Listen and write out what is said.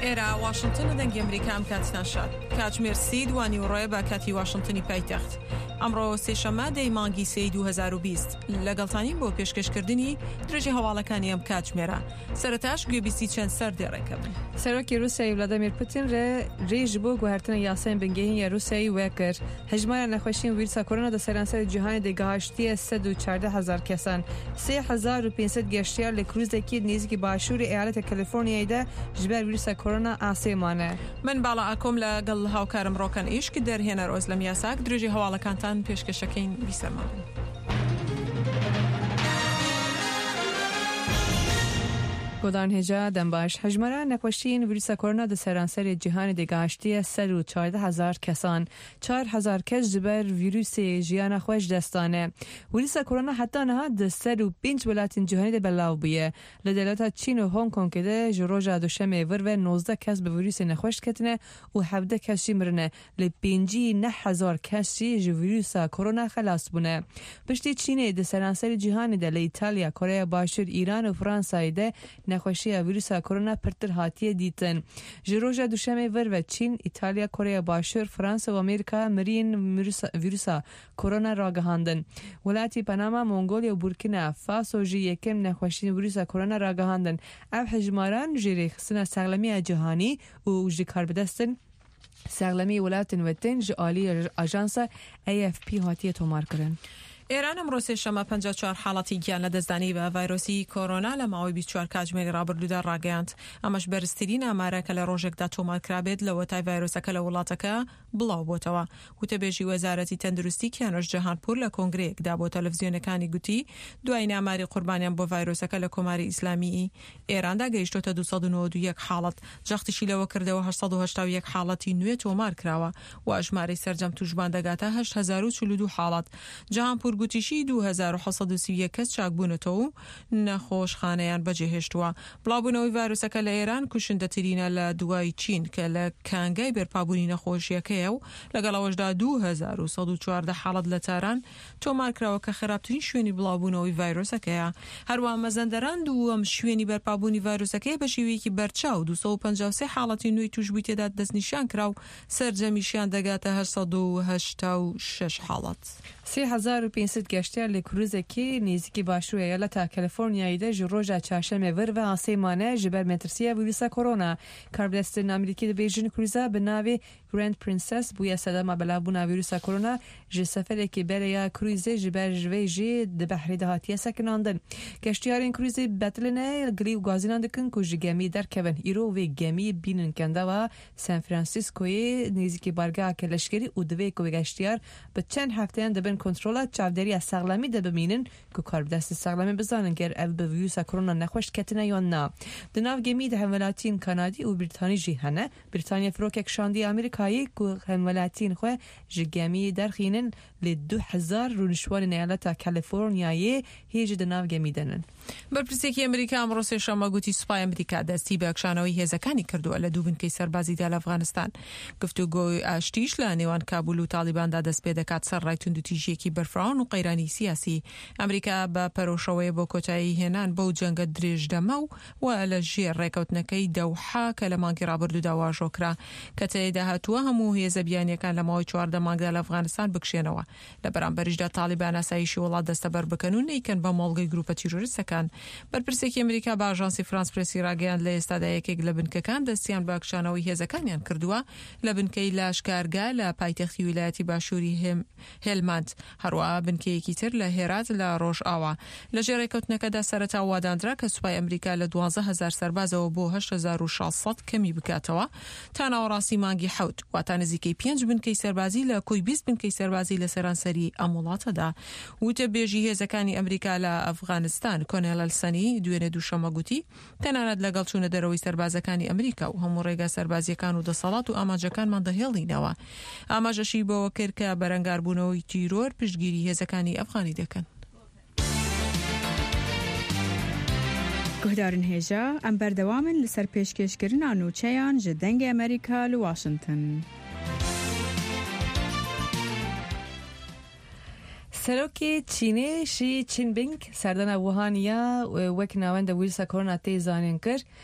ئێرە واشنتن دەنگی ئەمریکا ئەم کاتتان شاد. کاتژمێر سی دوانی و ڕێ بە کاتی واشنتنی پایتەخت. ئەمڕۆ سێشەممە دەی مانگی سێی 2020 لەگەڵتانین بۆ پێشکەشکردنی درێژی هەواڵەکانی ئەم کاتژمێرە. سەرەتاش گوێبیستی چەند سەردێڕێکە بن. سەرۆکی رووسیای ڤلادیمیر پوتین رێ ji bo guhertina yasayên bingehîn ya Rûsyayê wekir. Hejmara nexweşiyên vîrusa korona di seranserê cîhanê de gihaştiye 114 hezar kesan. 3500 geştyar li krûzekî nêzîkî başûrê eyaleta Kaliforniyayê de ji ber vîrusa korona asê mane. من باڵا ئاکۆم لەگەڵ هاوکارم ڕۆکەن ئیشک دەرهێنەر ئۆزلەم یاساک درێژی هەواڵەکانتان پێشکەشەکەین بیسەرمان بن. Guhdarên hêja dembaş hejmara nexweşiyên vîrusa korona di seranserê cîhanê de gihaştiye 114 hezar kesan. 4 hezar kes ji ber vîrusê jiyana xwe ji dest dane. Vîrusa korona heta niha di 105 welatên cîhanê de belav bûye. Li dewleta Çîn û Hong Kongê de ji roja duşemê vir ve 19 kes bi vîrusê nexweş ketine û 17 kes jî mirine. Li 59 hezar kes jî ji vîrusa korona xelas bûne. Piştî Çînê di seranserê cîhanê de li İtalya, Koreya Başûr, Îran û Fransayê de nexweşiya vîrusa korona pirtir hatiye dîtin. Ji roja duşemê vir ve Çîn, İtalya, Koreya Başûr, Fransa û Amerîka miriyên vîrusa korona ragihandin. Welatî Panama, Mongolya û Burkina Faso jî yekem nexweşiyên vîrusa korona ragihandin. Ev hejmaran ji rêxistina Saxlemiya Cîhanî û ji karbidestên saxlemî welatên we ji aliyê ajansa AFP hatiye tomarkirin. ئێران ئەمڕۆ سێشەممە 54 حاڵەتی گیان لەدەستدانی بە ڤایرۆسی کۆرۆنا لە ماوەی 24 کاتژمێری ڕابردوودا ڕاگەیاند. ئەمەش بەرزترین ئامارە کە لە ڕۆژێکدا تۆمار کرابێت لەوەتای ڤایرۆسەکە لە وڵاتەکە بڵاو بۆتەوە. وتەبێژی وەزارەتی تەندروستی کیانۆش جەهانپور لە کۆنگرەیەکدا بۆ تەلەڤزیۆنەکانی گوتی دوایین ئاماری قوربانیان بۆ ڤایرۆسەکە لە کۆماری ئیسلامیی ئێراندا گەیشتۆتە 291 حاڵەت. جەختیشی لەوە کردەوە 881 حاڵەتی نوێ تۆمار کراوە و ژمارەی سەرجەم تووشبووان دەگاتە 8042 حاڵەت. جەهانپور گوتیشی 2731 کەس چاکبوونەتەوە و نەخۆشخانەیان بەجێهێشتووە. بڵاوبوونەوەی ڤایرۆسەکە لە ئێران کوشندەترینە لە دوای چین کە لە کانگای بەرپابوونی نەخۆشیەکەیە و لەگەڵ ئەوەشدا 2114 حاڵەت لە تاران تۆمار کراوە کە خراپترین شوێنی بڵاوبوونەوەی ڤایرۆسەکەیە. هەروەها مەزەندەران دووەم شوێنی بەرپابوونی ڤایرۆسەکەی بە شێوەیەکی بەرچاو 253 حاڵەتی نوێی تووشبووی تێدا دەستنیشان کرا و سەرجەمیشیان دەگاتە 886 حاڵەت. 3500 geştyar li krûzekê nêzîkî başûrê eyaleta Kaliforniyayê de ji roja çarşemê vir ve asê mane ji ber metirsiya vîrusa korona. Karbidestên Amerîkî dibêjin krûza bi navê Grand Princess bûye sedema belavbûna vîrusa korona ji seferekê berê ya krûzê ji ber vê jî di behrê de hatiye sekinandin. Geştyarên krûzê betiline gilî û gazînan dikin ku ji gemî derkevin. Îro vê gemî bînin kendava San Franciscoyê nêzîkî bargeha leşkerî û divê ku geştyar bi çend hefteyan di bin kontrola çavdêriya saxlemî de bimînin ku karbidestên saxlemî bizanin ger ev bi vîrusa korona nexweş ketine yan na. Di nav gemî de hemwelatiyên Kanadî û Brîtanî jî hene. Brîtanya firokek şandiye Amerîkayê ku hemwelatiyên xwe ji gemiyê derxînin lê 2000 rûniştvanên eyaleta Kaliforniyayê hê jî di nav gemî de nin. بەرپرسێکی ئەمریکا ئەمڕۆ سێشەممە گوتی سوپای ئەمریکا دەستی بە کشانەوەی هێزەکانی کردووە لە دوو بنکەی سەربازیدا لە ئەفغانستان. گفتوگۆی ئاشتیش لە نێوان کابول و تاڵیباندا دەست پێ دەکات سەرەڕای توندوتیژیەکی بەرفراوان و قەیرانی سیاسی. ئەمریکا بە پەرۆشەوەیە بۆ کۆتایی هێنان بەو جەنگە درێژدەمە و و لە ژێر ڕێکەوتنەکەی دەوحا کە لە مانگی ڕابردوودا واژۆ کرا کە تێیدا هاتووە هەموو هێزە بیانیەکان لە ماوەی 14 مانگدا لە ئەفغانستان بکشێنەوە لە بەرامبەریشدا تاڵیبان ئاسایشی وڵات دەستەبەر بکەن و نەیکەن بە مۆڵگەی گروپە تیرۆریستەکان. بەرپرسێکی ئەمریکا بە ئاژانسی فرانس پرێسی ڕاگەیاند لە ئێستادا یەکێک لە بنکەکان دەستیان بە کشانەوەی هێزەکانیان کردووە لە بنکەی لاشکارگا لە پایتەختی ویلایەتی باشووری هێلماند، هەروەها بنکەیەکی تر لە هێرات لە ڕۆژئاوا. لە ژێر ڕێککەوتنەکەدا سەرەتا واداندرا کە سوپای ئەمریکا لە 12000 سەربازەوە بۆ 8600 کەمی بکاتەوە تا ناوەڕاستی مانگی حەوت، واتا نزیکەی پێنج بنکەی سەربازی لە کۆی 20 بنکەی سەربازی لە سەرانسەری ئەم وڵاتەدا. وتەبێژی هێزەکانی ئەمریکا لە ئەفغانستان کۆنێل سەنی دوێنێ دووشەممە گوتی تەنانەت لەگەڵ چوونە دەرەوەی سەربازەکانی ئەمریکا و هەموو ڕێگا سەربازیەکان و دەسەڵات و ئامانجەکانمان دەهێڵینەوە. ئاماژەشی بەوە کرد کە بەرەنگاربوونەوەی تیرۆر پشتگیری هێزەکانی ئەفغانی دەکەن. Guhdarên hêja em berdewam in li ser pêşkêşkirina nûçeyan ji Dengê Amerîka li Washington. Serokê Çînê Xi Jinping serdana Wuhan ya wek navenda vîrusa korona tê zanîn kir.